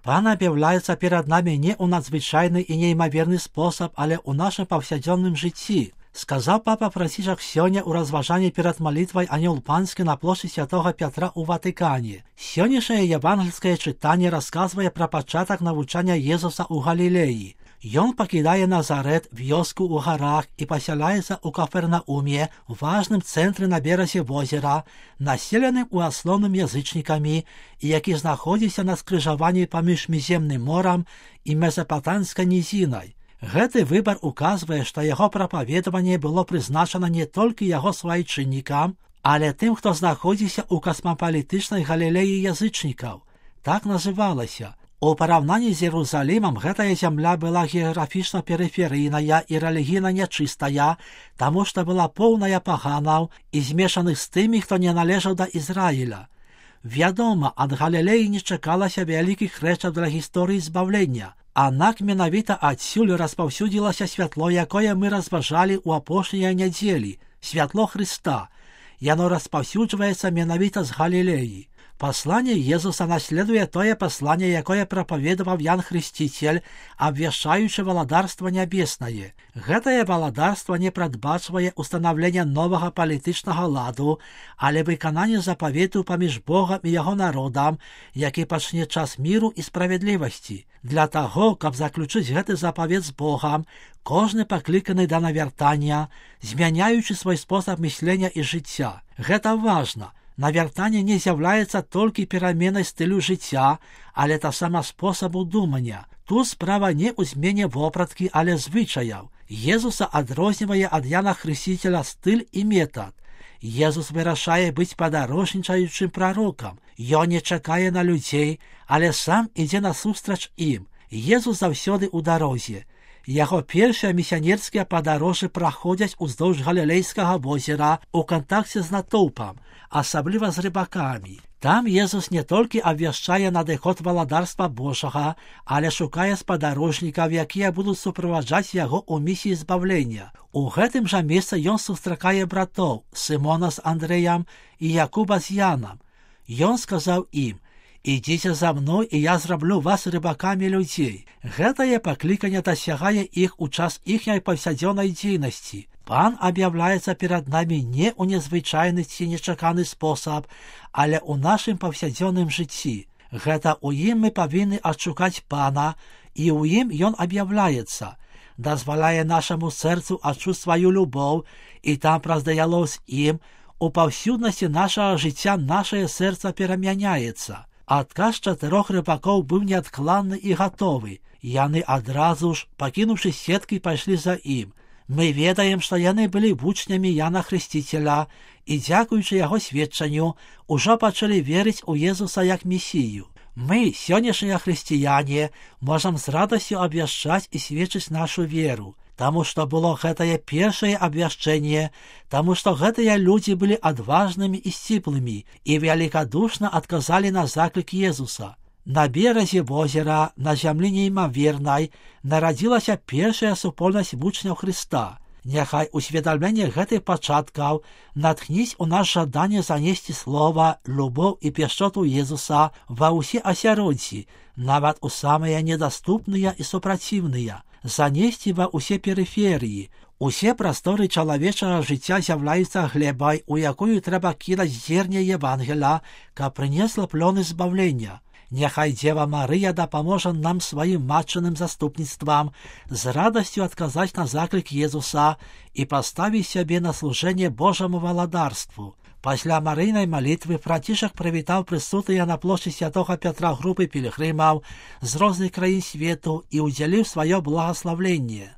Пан об'являється перед нами не у надзвичайний і неймовірний спосіб, але у нашому повсякденному житті. Сказав папа Францишек сьогодні у розважанні перед молитвою «Анёл Панський» на площі Святого Петра у Ватикані. Сьогоднішнє євангельське читання розказує про початок навчання Єсуса у Галілеї. Ён покидає Назарет, вёску у горах, і поселяється у Кафернаумі, важним центрі на березі озера, населеним у основним язичниками, і який знаходиться на скрижаванні поміж Міжземним морем і Месопотамською низиною. Гэты выбар указвае, што яго прапаведаванне было прызначана не толькі яго свайчыннікам, але тым, хто знаходзіўся ў касмапалітычнай галілеі язычнікаў. Так называлася. У параўнанні з Єрусалімам гэтая зямля была геаграфічна перыферыйная і рэлігійна нячыстая, таму што была поўная паганаў і змешаных з тымі, хто не належаў да Ізраіля. Вядома, ад Галілеі не чакалася вялікіх рэчаў для гісторыі збаўлення. Аднак менавіта адсюль распаўсюдзілася святло, якое мы разважалі ў апошнія нядзелі, святло Хрыста. Яно распаўсюджваецца менавіта з Галілеі. Послание Езуса наследуе тое послание, якое прапаведаваў Ян Хрысціцель, абвяшчаючы валадарства нябеснае. Гэтае валадарства не прадбачвае устанаўлення новага палітычнага ладу, але выкананне запавету паміж Богам і яго народам, які пачне час міру і справядлівасці. Для таго, каб заключыць гэты запавет з Богам, кожны пакліканы да навяртання, змяняючы свой спосаб мыслення і жыцця. Гэта важна. Навяртанне не з'яўляецца толькі пераменай стылю жыцця, але таксама спосабу думання. Тут справа не ў змене вопраткі, але звычаяў. Езуса адрознівае ад Яна Хрысціцеля стыль і метад. Езус вырашае быць падарожнічаючым прарокам. Ён не чакае на людзей, але сам ідзе насустрач ім. Езус заўсёды ў дарозе. Яго першыя місіянерскія падарожжы праходзяць уздоўж Галілейскага возера у кантакце з натоўпам, асабліва з рыбакамі. Там Езус не толькі абвяшчае надыход валадарства Божага, але шукае спадарожнікаў, якія будуць суправаджаць яго ў місіі збаўлення. У гэтым жа месцы ён сустракае братоў Сымона з Андрэем і Якуба з Янам. Ён сказаў ім: «Ідзіце за мной, і я зраблю вас рыбакамі людзей». Гэтае пакліканне дасягае іх у час іхняй паўсядзённай дзейнасці. Пан аб'яўляецца перад намі не ў незвычайны ці нечаканы спосаб, але ў нашым паўсядзённым жыцці. Гэта ў ім мы павінны адшукаць Пана, і ў ім ён аб'яўляецца. Дазваляе нашаму сэрцу адчуць сваю любоў, і там праз дыялог з ім, у паўсюднасці нашага жыцця нашае сэрца перамяняецца. Адказ 4 рыбакоў быў неадкладны і гатовы. Яны адразу ж, пакінуўшы сеткі, пайшлі за ім. Мы ведаем, што яны былі вучнямі Яна Хрысціцеля і, дзякуючы яго сведчанню, ужо пачалі верыць у Езуса як месію. Мы, сённяшнія хрысціяне, можам з радасцю абвяшчаць і сведчыць нашу веру, таму што было гэтае першае абвяшчэнне, таму што гэтыя людзі былі адважнымі і сціплымі і великадушна адказалі на заклік Езуса. На беразе возера, на зямлі неймавернай, нарадзілася першая супольнасць вучняў Хрыста. Няхай усведамленне гэтых пачаткаў натхніць у нас жаданне занесці слова, любоў і пяшчоту Езуса ва ўсе асяроддзі, нават у самыя недаступныя і супраціўныя, занесці ва ўсе перыферыі. Усе прасторы чалавечага жыцця з'яўляюцца глебай, у якую трэба кідаць зерне Евангеля, каб прынесла плёны збаўлення. Няхай Дзева Марыя дапаможа нам сваім матчыным заступніцтвам з радасцю адказаць на заклік Езуса і паставіць сябе на служэнне Божаму валадарству. Пасля марыйнай малітвы Францішек прывітаў прысутныя на плошчы Святога Пятра групы пілігрымаў з розных краін свету і ўдзяліў сваё благаславленне.